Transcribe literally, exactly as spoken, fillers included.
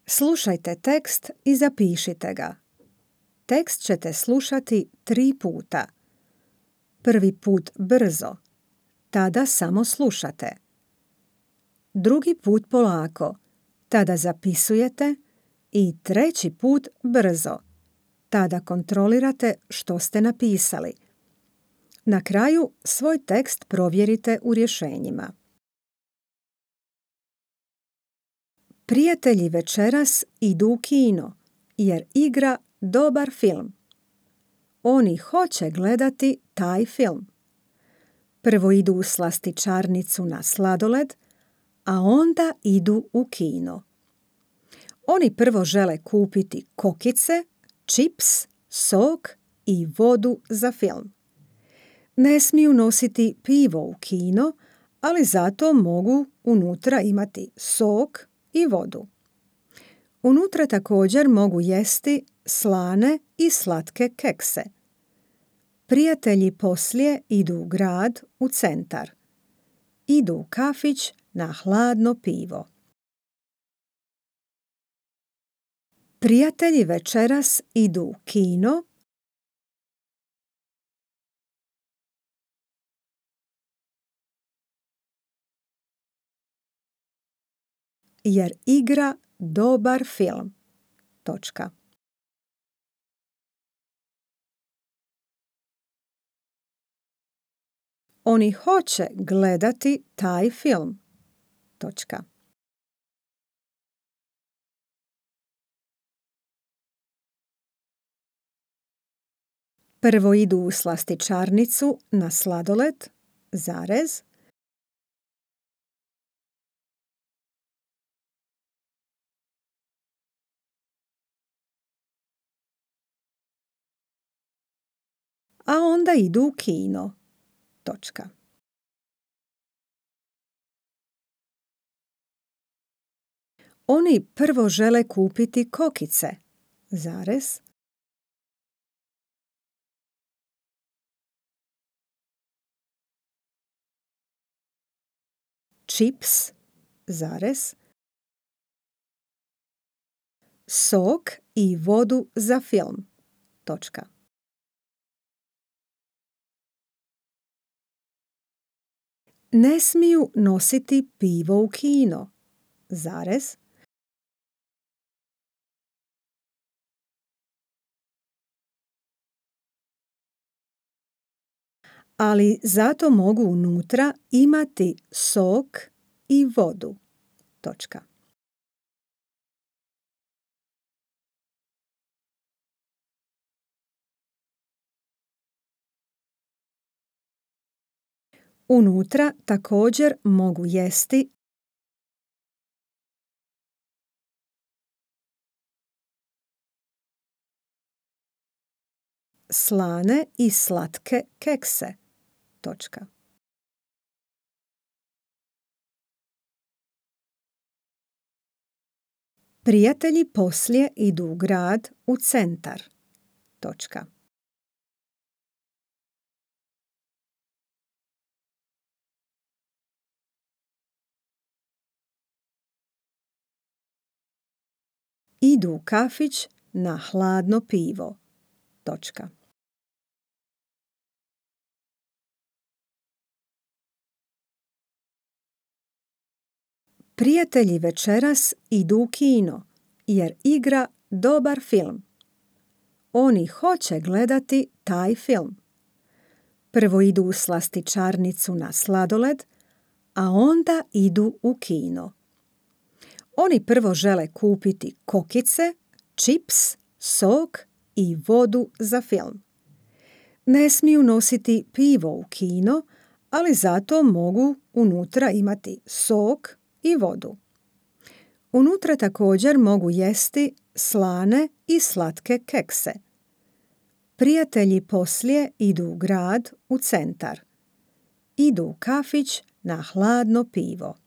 Slušajte tekst i zapišite ga. Tekst ćete slušati tri puta. Prvi put brzo, tada samo slušate. Drugi put polako, tada zapisujete i treći put brzo, tada kontrolirate što ste napisali. Na kraju svoj tekst provjerite u rješenjima. Prijatelji večeras idu u kino jer igra dobar film. Oni hoće gledati taj film. Prvo idu u slastičarnicu na sladoled, a onda idu u kino. Oni prvo žele kupiti kokice, čips, sok i vodu za film. Ne smiju nositi pivo u kino, ali zato mogu unutra imati sok i vodu. Unutra također mogu jesti slane i slatke kekse. Prijatelji poslije idu u grad, u centar. Idu u kafić na hladno pivo. Prijatelji večeras idu u kino jer igra dobar film. Točka. Oni hoće gledati taj film. Točka. Prvo idu u slastičarnicu na sladoled, zarez. A onda idu u kino. Točka. Oni prvo žele kupiti kokice, zarez. Čips, zarez. Sok i vodu za film. Točka. Ne smiju nositi pivo u kino, zarez. Ali zato mogu unutra imati sok i vodu. Točka. Unutra također mogu jesti slane i slatke kekse. Točka. Prijatelji poslije idu u grad, u centar. Točka. Idu u kafić na hladno pivo. Točka. Prijatelji večeras idu u kino jer igra dobar film. Oni hoće gledati taj film. Prvo idu u slastičarnicu na sladoled, a onda idu u kino. Oni prvo žele kupiti kokice, čips, sok i vodu za film. Ne smiju nositi pivo u kino, ali zato mogu unutra imati sok i vodu. Unutra također mogu jesti slane i slatke kekse. Prijatelji poslije idu u grad, u centar. Idu u kafić na hladno pivo.